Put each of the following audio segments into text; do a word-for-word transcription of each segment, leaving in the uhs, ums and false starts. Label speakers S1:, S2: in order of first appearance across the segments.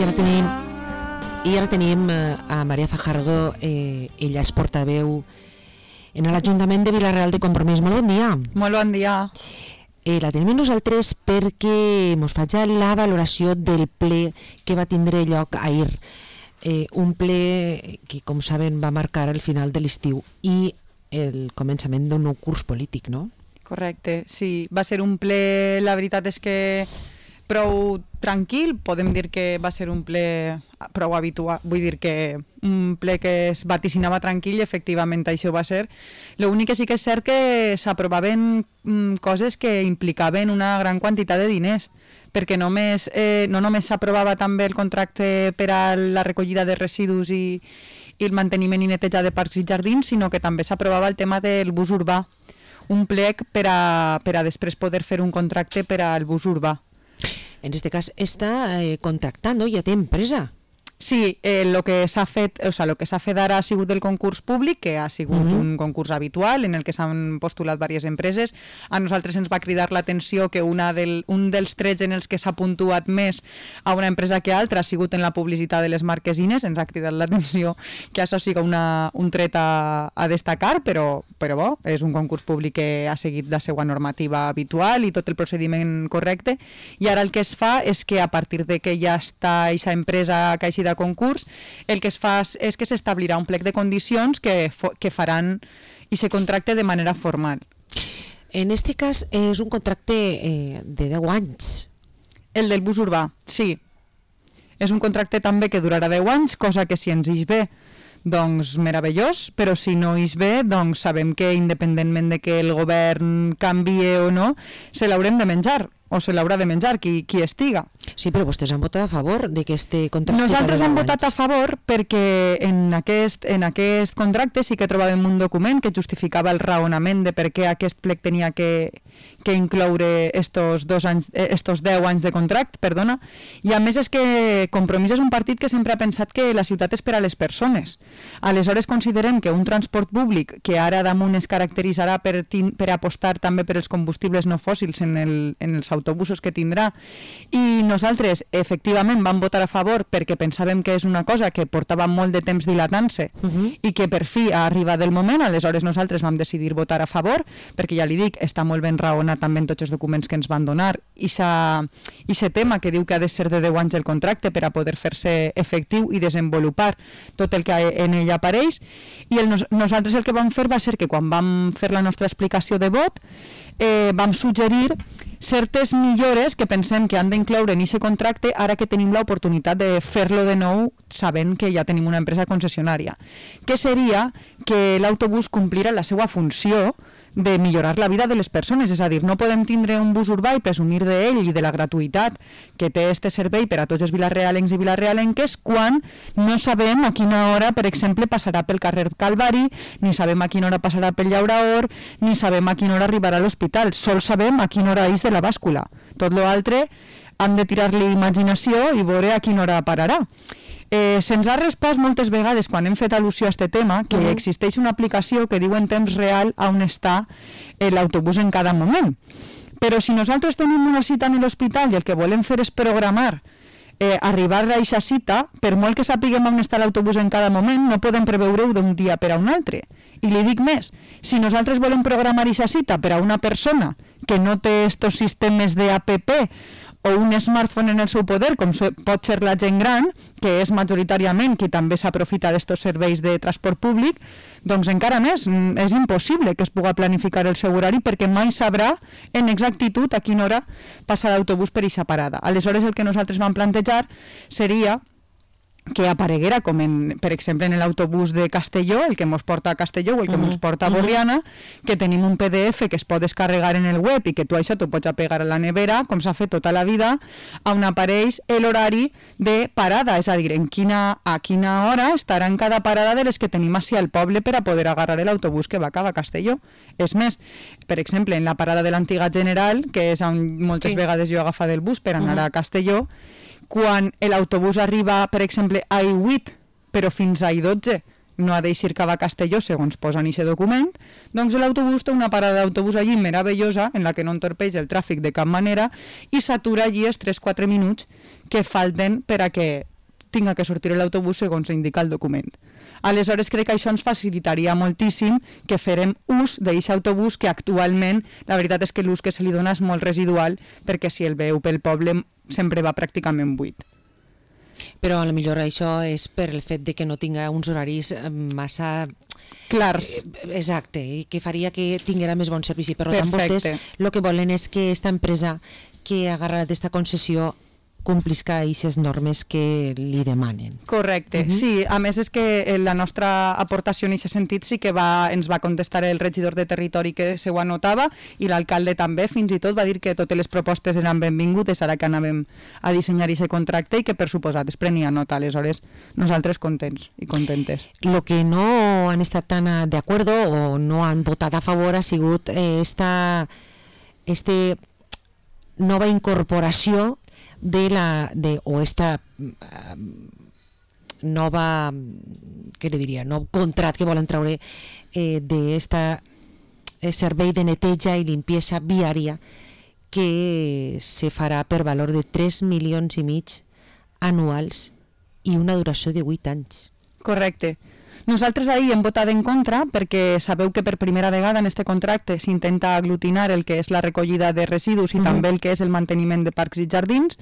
S1: I ara tenim, i ara tenim a Maria Fajardo, eh, ella és portaveu en l'Ajuntament de Vila-real de Compromís. Molt bon dia.
S2: Molt bon dia.
S1: Eh, la tenim nosaltres perquè ens faig la valoració del ple que va tindre lloc ahir. Eh, un ple que, com saben, va marcar el final de l'estiu i el començament d'un nou curs polític, no?
S2: Correcte, sí. Va ser un ple, la veritat és que prou tranquil, podem dir que va ser un ple prou habitual, vull dir que un ple que es vaticinava tranquil i efectivament això va ser. L'únic que sí que és cert que s'aprovaven mm, coses que implicaven una gran quantitat de diners, perquè només, eh, no només s'aprovava també el contracte per a la recollida de residus i, i el manteniment i neteja de parcs i jardins, sinó que també s'aprovava el tema del bus urbà, un plec per a, per a després poder fer un contracte per al bus urbà.
S1: En aquest cas està eh, contractant, no? Ja té empresa.
S2: Sí, eh, lo que s'ha fet, o sea, lo que s'ha fet ara ha sigut el concurs públic, que ha sigut uh-huh. un concurs habitual en el que s'han postulat diverses empreses. A nosaltres ens va cridar l'atenció que una del, un dels trets en els que s'ha puntuat més a una empresa que altra ha sigut en la publicitat de les marquesines. Ens ha cridat l'atenció que això sigui una, un tret a, a destacar, però, però bo, és un concurs públic que ha seguit la seva normativa habitual i tot el procediment correcte. I ara el que es fa és que a partir de que ja està aquesta empresa que ha eixit de concurs, el que es fa és que s'establirà un plec de condicions que, que faran i se contracte de manera formal.
S1: En aquest cas és un contracte eh, de deu anys.
S2: El del bus urbà, sí. És un contracte també que durarà deu anys, cosa que si ens ix bé, doncs meravellós, però si no ix bé, doncs sabem que independentment de que el govern canvie o no, se l'haurem de menjar, o se l'haurà de menjar qui, qui estiga.
S1: Sí, però vostès han votat a favor d'aquest contracte.
S2: Nosaltres hem votat a favor perquè en aquest, en aquest contracte sí que trobàvem un document que justificava el raonament de per què aquest plec tenia que, que incloure estos, dos anys, estos deu anys de contracte, perdona, i a més és que Compromís és un partit que sempre ha pensat que la ciutat és per a les persones. Aleshores considerem que un transport públic que ara damunt es caracteritzarà per, per apostar també per els combustibles no fòssils en, el, en els autobusos que tindrà, i nosaltres efectivament vam votar a favor perquè pensàvem que és una cosa que portava molt de temps dilatant-se uh-huh. i que per fi ha arribat el moment. Aleshores nosaltres vam decidir votar a favor perquè ja li dic, està molt ben raonat també en tots els documents que ens van donar i aquest tema que diu que ha de ser de deu anys el contracte per a poder fer-se efectiu i desenvolupar tot el que en ell apareix. I el, nosaltres el que vam fer va ser que quan vam fer la nostra explicació de vot eh, vam suggerir certes millores que pensem que han d'incloure en aquest contracte ara que tenim l'oportunitat de fer-lo de nou sabent que ja tenim una empresa concessionària, que seria que l'autobús complirà la seva funció de millorar la vida de les persones, és a dir, no podem tindre un bus urbà i presumir d'ell i de la gratuïtat que té este servei per a tots els vilarealencs i vilarealenques quan no sabem a quina hora, per exemple, passarà pel carrer Calvari, ni sabem a quina hora passarà pel Llauraor, ni sabem a quina hora arribarà a l'hospital, sols sabem a quina hora és de la bàscula. Tot l'altre hem de tirar-li imaginació i veure a quina hora pararà. Eh, se'ns ha respost moltes vegades quan hem fet al·lusió a aquest tema que uh-huh. existeix una aplicació que diu en temps real on està eh, l'autobús en cada moment. Però si nosaltres tenim una cita en l'hospital i el que volem fer és programar eh, arribar a aquesta cita, per molt que sapiguem on està l'autobús en cada moment, no podem preveure-ho d'un dia per a un altre. I li dic més, si nosaltres volem programar aquesta cita per a una persona que no té estos sistemes de app o un smartphone en el seu poder, com pot ser la gent gran, que és majoritàriament qui també s'aprofita d'estos serveis de transport públic, doncs encara més, és impossible que es pugui planificar el seu horari perquè mai sabrà en exactitud a quina hora passa l'autobús per aquesta parada. Aleshores el que nosaltres vam plantejar seria que apareguera, com en, per exemple en l'autobús de Castelló, el que ens porta a Castelló o el que ens uh-huh. porta a Borriana, uh-huh. que tenim un P D F que es pot descarregar en el web i que tu això t'ho pots apegar a la nevera, com s'ha fet tota la vida, on apareix l'horari de parada, és a dir, en quina, a quina hora estarà en cada parada de les que tenim així al poble per a poder agarrar l'autobús que va cap a Castelló. És més, per exemple, en la parada de l'antiga General, que és on moltes sí. vegades jo he agafat el bus per anar uh-huh. a Castelló, quan l'autobús arriba, per exemple, a I vuit, però fins a I dotze, no ha d'eixir cap a Castelló, segons posa en aquest document, doncs l'autobús té una parada d'autobús allí meravellosa, en la que no entorpeix el tràfic de cap manera, i s'atura allí els tres quatre minuts que falten per a que tinga que sortir l'autobús segons indica el document. Aleshores crec que això ens facilitaria moltíssim que farem ús d'aquest autobús, que actualment la veritat és que l'ús que se li dona és molt residual, perquè si el veu pel poble sempre va pràcticament buit.
S1: Però a lo millor això és per el fet de que no tinga uns horaris massa
S2: clars.
S1: Exacte, i que faria que tinguera més bon servici. Per tant, vostès el que volen és que aquesta empresa que ha agarrat aquesta concessió complisca aquestes normes que li demanen.
S2: Correcte, uh-huh. Sí, a més és que la nostra aportació en aquest sentit sí que va, ens va contestar el regidor de territori que se ho anotava, i l'alcalde també, fins i tot va dir que totes les propostes eren benvingudes ara que anàvem a dissenyar aquest contracte i que per suposat es prenia nota. Aleshores nosaltres contents i contentes.
S1: Lo que no han estat tan d'acord o no han votat a favor ha sigut eh, esta este nova incorporació de la de o esta uh, nova, què li diria, nou contrat que volen treure eh, d'esta eh, servei de neteja i limpiesa viària que se farà per valor de tres milions i mig anuals i una duració de vuit anys.
S2: Correcte. Nosaltres ahir hem votat en contra perquè sabeu que per primera vegada en este contracte s'intenta aglutinar el que és la recollida de residus i uh-huh. també el que és el manteniment de parcs i jardins,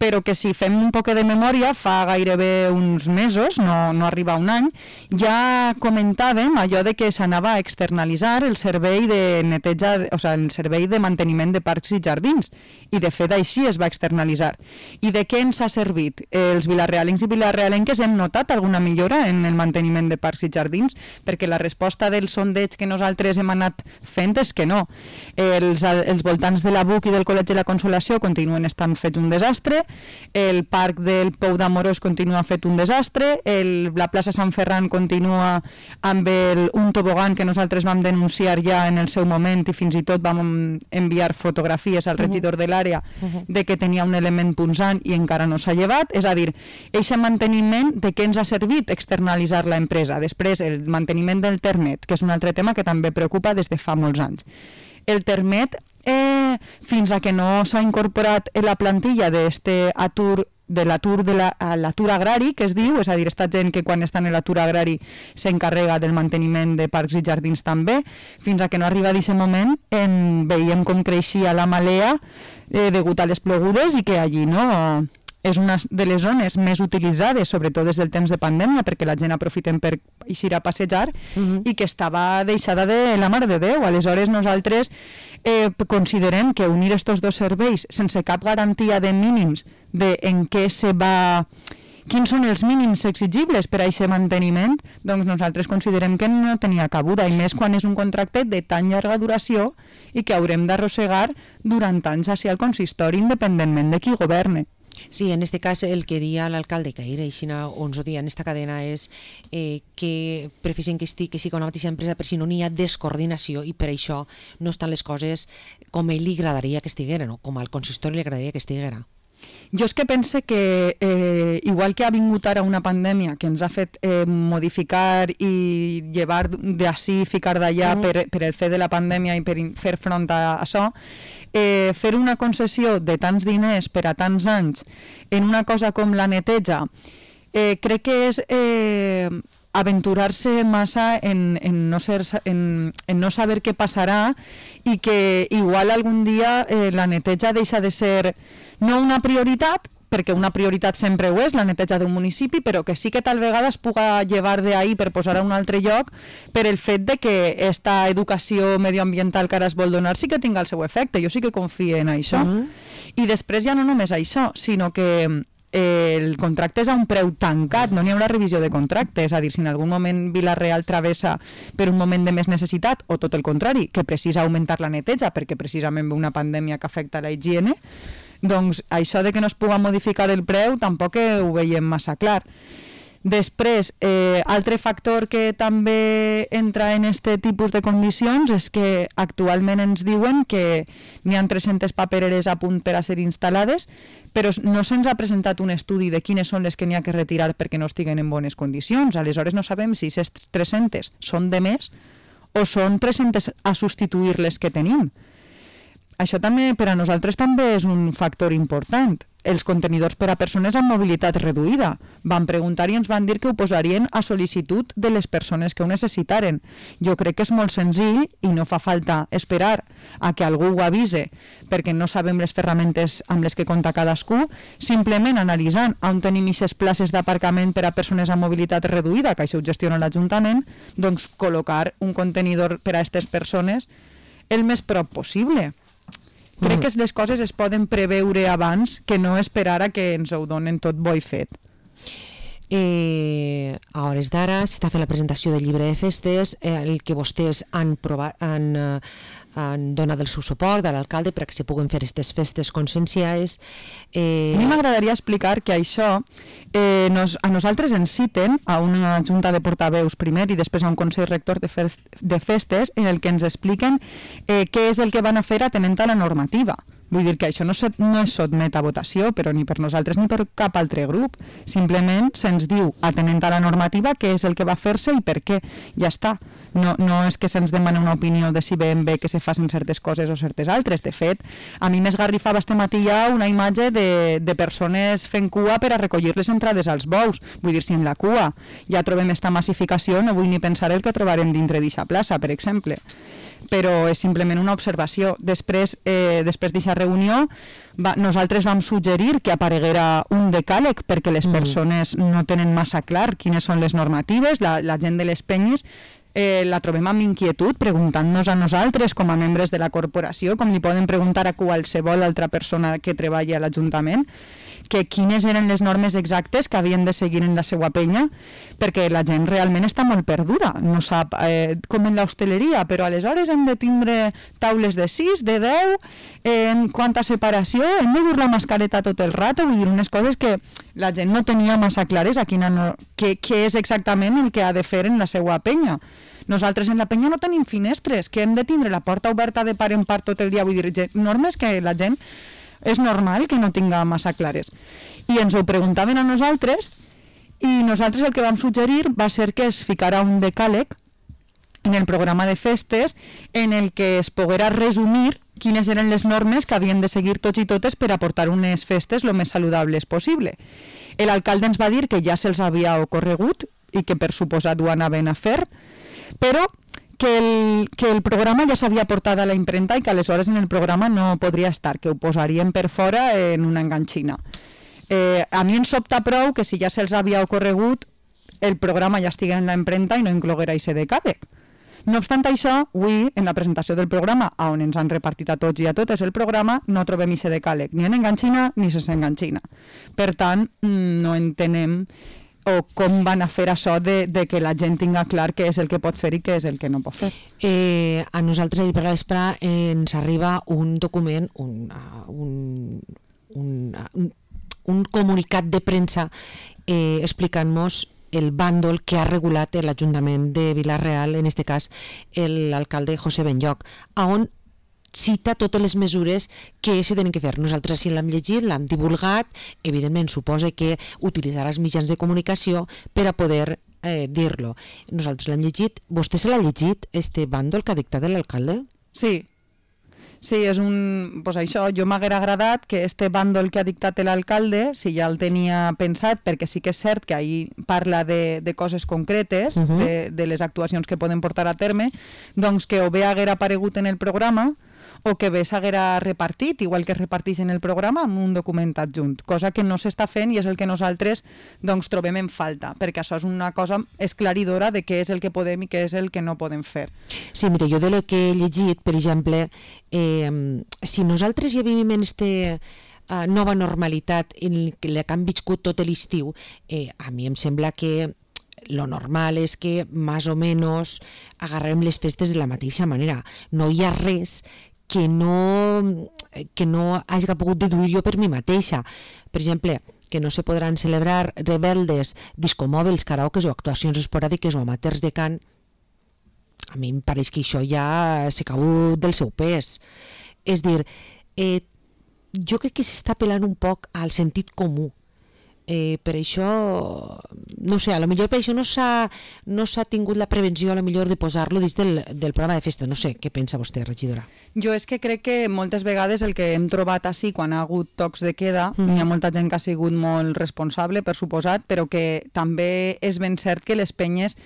S2: però que si fem un poc de memòria, fa gairebé uns mesos, no, no arriba un any, ja comentàvem allò de que s'anava a externalitzar el servei de neteja, o sigui, el servei de manteniment de parcs i jardins, i de fet així es va externalitzar. I de què ens ha servit? Els vilarealencs i vilarealenques hem notat alguna millora en el manteniment de parcs i jardins, perquè la resposta del sondeig que nosaltres hem anat fent és que no. Els, els voltants de la B U C i del Col·legi de la Consolació continuen estant fets un desastre, el parc del Pou d'Amorós continua fet un desastre, el, la plaça Sant Ferran continua amb el, un tobogan que nosaltres vam denunciar ja en el seu moment i fins i tot vam enviar fotografies al regidor de l'àrea de que tenia un element punxant i encara no s'ha llevat. És a dir, aquest manteniment de què ens ha servit externalitzar la empresa. Després, el manteniment del Termet, que és un altre tema que també preocupa des de fa molts anys. El Termet, eh, fins a que no s'ha incorporat en la plantilla d'este atur de l'atur de la, l'atur agrari, que es diu, és a dir, esta gent que quan està en l'atur agrari s'encarrega del manteniment de parcs i jardins també, fins a que no arriba d'aquest moment en, veiem com creixia la malea eh, degut a les plogudes i que allí no... és una de les zones més utilitzades, sobretot des del temps de pandèmia, perquè la gent aprofiten per eixir a passejar, uh-huh. i que estava deixada de la Mare de Déu. Aleshores nosaltres eh, considerem que unir estos dos serveis sense cap garantia de mínims de en què se va... quins són els mínims exigibles per a aquest manteniment, doncs nosaltres considerem que no tenia cabuda, i més quan és un contracte de tan llarga duració i que haurem d'arrossegar durant anys hacia el consistori independentment de qui governe.
S1: Sí, en este cas el que dia l'alcalde Caire, i ons ho dia en esta cadena, és eh, que prefereixen que estigui que sigui una mateixa empresa per si no n'hi ha descoordinació, i per això no estan les coses com ell li agradaria que estiguera, no? Com al consistori li agradaria que estiguera.
S2: Jo és que pense que eh, igual que ha vingut ara una pandèmia que ens ha fet eh, modificar i llevar d'ací, ficar d'allà mm. per, per el fet de la pandèmia i per fer front a això, eh, fer una concessió de tants diners per a tants anys en una cosa com la neteja, eh, crec que és eh, aventurar-se massa en, en, no ser, en, en no saber què passarà, i que igual algun dia eh, la neteja deixa de ser no una prioritat, perquè una prioritat sempre ho és, la neteja d'un municipi, però que sí que tal vegada es puga llevar d'ahí per posar a un altre lloc, per el fet de que esta educació medioambiental que ara es vol donar sí que tinga el seu efecte. Jo sí que confio en això. Uh-huh. I després ja no només això, sinó que el contracte és a un preu tancat, no n'hi haurà revisió de contracte, és a dir, si en algun moment Vila-real travessa per un moment de més necessitat, o tot el contrari, que precisa augmentar la neteja perquè precisament ve una pandèmia que afecta la higiene, doncs això de que no es pugui modificar el preu tampoc ho veiem massa clar. Després, eh, altre factor que també entra en aquest tipus de condicions és que actualment ens diuen que n'hi ha tres-centes papereres a punt per a ser instal·lades, però no se'ns ha presentat un estudi de quines són les que n'hi ha que retirar perquè no estiguen en bones condicions. Aleshores no sabem si aquestes tres-centes són de més o són tres-centes a substituir les que tenim. Això també per a nosaltres també és un factor important. els contenidors per a persones amb mobilitat reduïda. Van preguntar i ens van dir que ho posarien a sol·licitud de les persones que ho necessitaren. Jo crec que és molt senzill i no fa falta esperar a que algú ho avise perquè no sabem les ferramentes amb les que compta cadascú, simplement analitzant on tenim aquestes places d'aparcament per a persones amb mobilitat reduïda, que això ho gestiona l'Ajuntament, doncs col·locar un contenidor per a aquestes persones el més prop possible. Crec que les coses es poden preveure abans que no esperar a que ens ho donen tot bo i fet.
S1: Eh, a hores d'ara s'està fent la presentació del llibre de festes, eh, el que vostès han, provat, han, eh, han donat el seu suport a l'alcalde perquè se puguen fer aquestes festes conscienciades.
S2: Eh... A mi m'agradaria explicar que això eh, nos, a nosaltres ens citen a una junta de portaveus primer i després a un consell rector de, fest, de festes en el que ens expliquen eh, què és el que van a fer atenent a la normativa. Vull dir que això no, se, no es sotmet a votació, però ni per nosaltres ni per cap altre grup. Simplement se'ns diu, atenent a la normativa, què és el que va fer-se i per què. Ja està. No, no és que se'ns demana una opinió de si ben bé que se facin certes coses o certes altres. De fet, a mi m'esgarrifava este matí ja una imatge de, de persones fent cua per a recollir les entrades als bous. Vull dir, si en la cua ja trobem esta massificació, no vull ni pensar el que trobarem dintre d'aquesta plaça, per exemple. Però és simplement una observació. Després eh, després d'aquesta reunió va, nosaltres vam suggerir que apareguera un decàleg perquè les persones no tenen massa clar quines són les normatives, la, la gent de les penyes eh, la trobem amb inquietud preguntant-nos a nosaltres com a membres de la corporació, com li poden preguntar a qualsevol altra persona que treballa a l'Ajuntament, que quines eren les normes exactes que havien de seguir en la seva penya, perquè la gent realment està molt perduda, no sap eh, com en l'hostaleria, però aleshores hem de tindre taules de sis, de deu, en quanta separació, hem de dur la mascareta tot el rato, vull dir unes coses que la gent no tenia massa clares a quina no, què, què és exactament el que ha de fer en la seva penya. Nosaltres en la penya no tenim finestres, que hem de tindre la porta oberta de part en part tot el dia, vull dir, normes que la gent és normal que no tinga massa clares. I ens ho preguntaven a nosaltres i nosaltres el que vam suggerir va ser que es ficara un decàleg en el programa de festes en el que es poguera resumir quines eren les normes que havien de seguir tots i totes per aportar unes festes el més saludables possible. L'alcalde ens va dir que ja se'ls havia ocorregut i que per suposat ho anaven a fer, però que el, que el programa ja s'havia portat a la impremta i que aleshores en el programa no podria estar, que ho posarien per fora en una enganxina. Eh, a mi em sobta prou que si ja se'ls havia ocorregut el programa ja estigui en la impremta i no incloguera aquest decàleg. No obstant això, avui, en la presentació del programa, on ens han repartit a tots i a totes el programa, no trobem aquest decàleg, ni en enganxina ni sense enganxina. Per tant, no entenem o com van a fer això de, de que la gent tinga clar què és el que pot fer i què és el que no pot fer.
S1: Eh, a nosaltres ahir per la vespre eh, ens arriba un document, un, un, un, un, un comunicat de premsa eh, explicant-nos el bàndol que ha regulat l'Ajuntament de Vila-real, en aquest cas l'alcalde José Benlloch, on cita totes les mesures que s'hi tenen que fer. Nosaltres si l'hem llegit, l'hem divulgat, evidentment suposa que utilitzarà els mitjans de comunicació per a poder eh, dir-lo. Nosaltres l'hem llegit. Vostè se l'ha llegit, este bàndol que ha dictat l'alcalde?
S2: Sí. Sí, és un... Pues això, jo m'haguera agradat que este bàndol que ha dictat l'alcalde, si ja el tenia pensat, perquè sí que és cert que ahir parla de, de coses concretes, uh-huh. de, de les actuacions que poden portar a terme, doncs que o bé haguera aparegut en el programa o que bé s'haguera repartit, igual que es reparteix en el programa, amb un document adjunt, cosa que no s'està fent i és el que nosaltres doncs, trobem en falta, perquè això és una cosa esclaridora de què és el que podem i què és el que no podem fer.
S1: Sí, mira, jo de lo que he llegit, per exemple, eh, si nosaltres ja vivim en este uh, nova normalitat en la que han viscut tot l'estiu, eh, a mi em sembla que lo normal és que més o menys agarrem les festes de la mateixa manera. No hi ha res que no, que no hagi pogut deduir jo per mi mateixa. Per exemple, que no se podran celebrar rebeldes, discomòbils, karaokes o actuacions esporàdiques o amateurs de cant, a mi em pareix que això ja s'ha cau del seu pes. És dir, eh, jo crec que s'està apel·lant un poc al sentit comú. Eh, per això, no sé, a lo millor per això no s'ha no s'ha tingut la prevenció a lo millor de posar-lo dins del, del programa de festa. No sé, què pensa vostè, regidora?
S2: Jo és que crec que moltes vegades el que hem trobat així quan ha hagut tocs de queda, mm. hi ha molta gent que ha sigut molt responsable, per suposat, però que també és ben cert que les penyes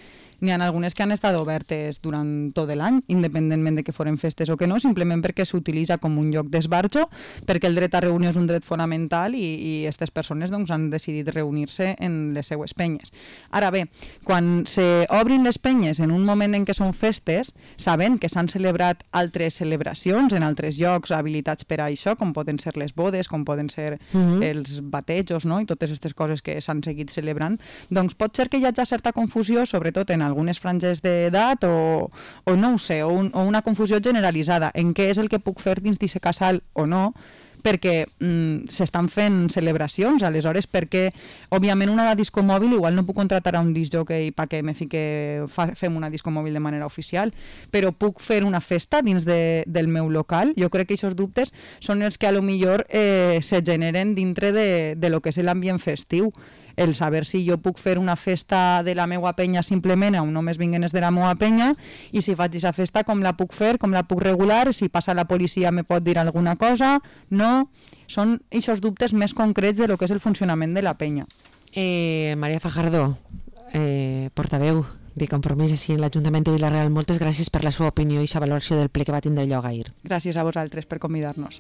S2: n'hi ha algunes que han estat obertes durant tot l'any, independentment de que foren festes o que no, simplement perquè s'utilitza com un lloc d'esbarjo, perquè el dret a reunió és un dret fonamental i aquestes persones doncs, han decidit reunir-se en les seues penyes. Ara bé, quan s'obrin les penyes en un moment en què són festes, sabent que s'han celebrat altres celebracions en altres llocs habilitats per a això, com poden ser les bodes, com poden ser mm-hmm. els batejos, no? I totes aquestes coses que s'han seguit celebrant, doncs pot ser que hi hagi certa confusió, sobretot en algunes franges d'edat o, o no ho sé, o, un, o una confusió generalitzada en què és el que puc fer dins d'aquest casal o no, perquè mm, s'estan fent celebracions, aleshores perquè òbviament una disco mòbil igual no puc contratar a un disc jockey perquè me fique, fa, fem una disco mòbil de manera oficial, però puc fer una festa dins de, del meu local. Jo crec que aquests dubtes són els que a lo millor eh, se generen dintre de, de lo que és l'ambient festiu. El saber si jo puc fer una festa de la meva penya simplement on només vinguen els de la meva penya i si faig aquesta festa com la puc fer, com la puc regular, si passa la policia me pot dir alguna cosa, no? Són aquests dubtes més concrets de lo que és el funcionament de la penya.
S1: Eh, Maria Fajardo, eh, portaveu de Compromís així en l'Ajuntament de Vila-real, moltes gràcies per la seva opinió i la valoració del ple que va tindre lloc ahir.
S2: Gràcies a vosaltres per convidar-nos.